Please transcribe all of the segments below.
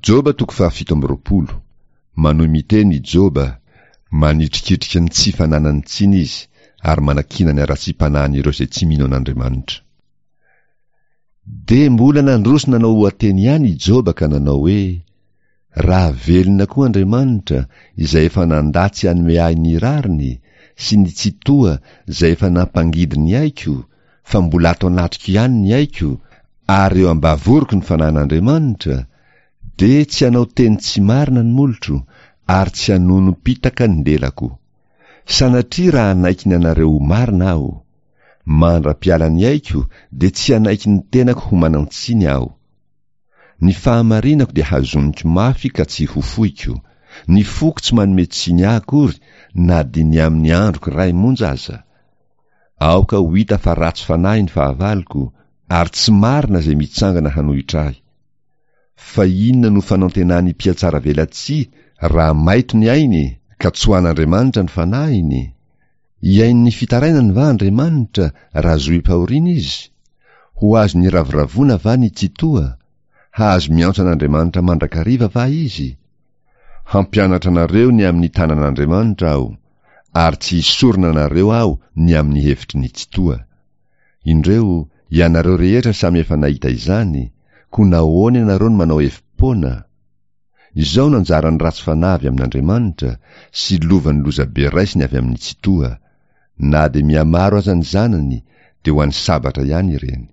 Joba toko fahafito amby 20. Manohy miteny i Joba, manitrikitrika ny tsy fananany tsiny izy ary manakiana ny haratsiam-panahin'ireo izay tsy mino an'Andriamanitra. Dia mbola nandroso nanao oha-teny ihany i Joba ka nanao hoe, Raha velona koa Andriamanitra izay efa nandà tsy hanome ahy ny rariny, sy ny Tsitoha izay efa nampangidy ny aiko, fa mbola ato anatiko ihany ny aiko, ary eo am-bavoroko ny fanahin'Andriamanitra, dia tsy hanao teny tsy marina ny molotro, ary tsy hanonom-pitaka ny lelako. Sanatria raha hanaiky ny anareo ho marina aho. Mandra-piala ny aiko dia tsy hanaiky ny tenako ho manan-tsiny aho. Ny fahamarinako dia hazoniko mafy ka tsy ho foiko, ny foko tsy manome tsiny ahy akory na dia ny amin'ny androko iray monja aza. Aoka ho hita fa ratsy fanahy ny fahavaloko, ary tsy marina izay mitsangana hanohitra ahy. Fa inona no fanantenan'ny mpihatsaravelatsihy raha maito ny ainy ka tsoahan'Andriamanitra ny fanahiny? Hihaino ny fitarainany va Andriamanitra raha zohim-pahoriana izy? Ho azony iravoravoana va ny Tsitoha? Hahazo miantso an'Andriamanitra mandrakariva va izy? Hampianatra anareo ny amin'ny tanan'Andriamanitra aho, ary tsy hisorona anareo aho ny amin'ny hevitry ny Tsitoha. Indreo, ianareo rehetra samy efa nahita izany, koa nahoana ianareo no manao hevi-poana? Izao no anjaran'ny ratsy fanahy avy amin'Andriamanitra, sy lovan'ny lozabe raisiny avy amin'ny Tsitoha. Na dia mihamaro aza ny zanany, dia ho an'ny sabatra ihany ireny.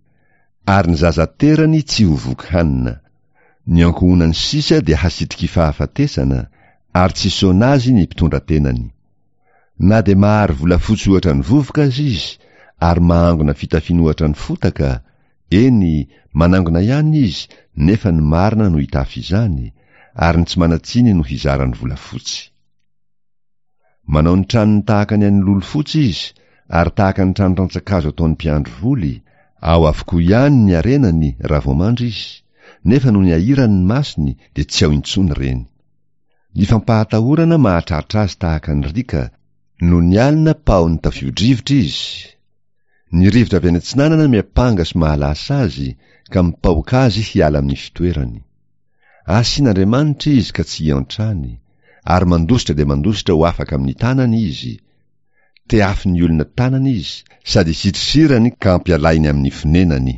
Ary ny zaza aterany tsy ho voky hanina. Ny ankohonany sisa dia hasitriky fahafatesana, ary tsy hisaona azy ny mpitondra tenany. Na dia mahary volafotsy ohatra ny vovoka aza izy, ary mahangona fitafiana ohatra ny fotaka, eny, manangona ihany izy, nefa ny marina no hitafy izany, ary ny tsy manan-tsiny no hizara ny volafotsy. Manao ny tranony tahaka ny an'ny lolo fotsy izy, ary tahaka ny trano rantsan-kazo ataon'ny mpiandry voly, ao avokoa ihany ny harenany raha vao mandry izy, nefa nony ahirany ny masony dia tsy ao intsony ireny. Ny fampahatahorana mahatratra azy tahaka ny riaka, nony alina pahon'ny tafio-drivotra izy. Ny rivotra avy any atsinanana miampanga sy mahalasa azy ka mipaoka azy hiala amin'ny fitoerany. Asian'Andriamanitra izy ka tsy hiantrany, ary mandositra dia mandositra ho afaka amin'ny tanany izy. Tehafin'ny olona tanana izy, sady isitrisirany ka ampialahiny amin'ny fonenany.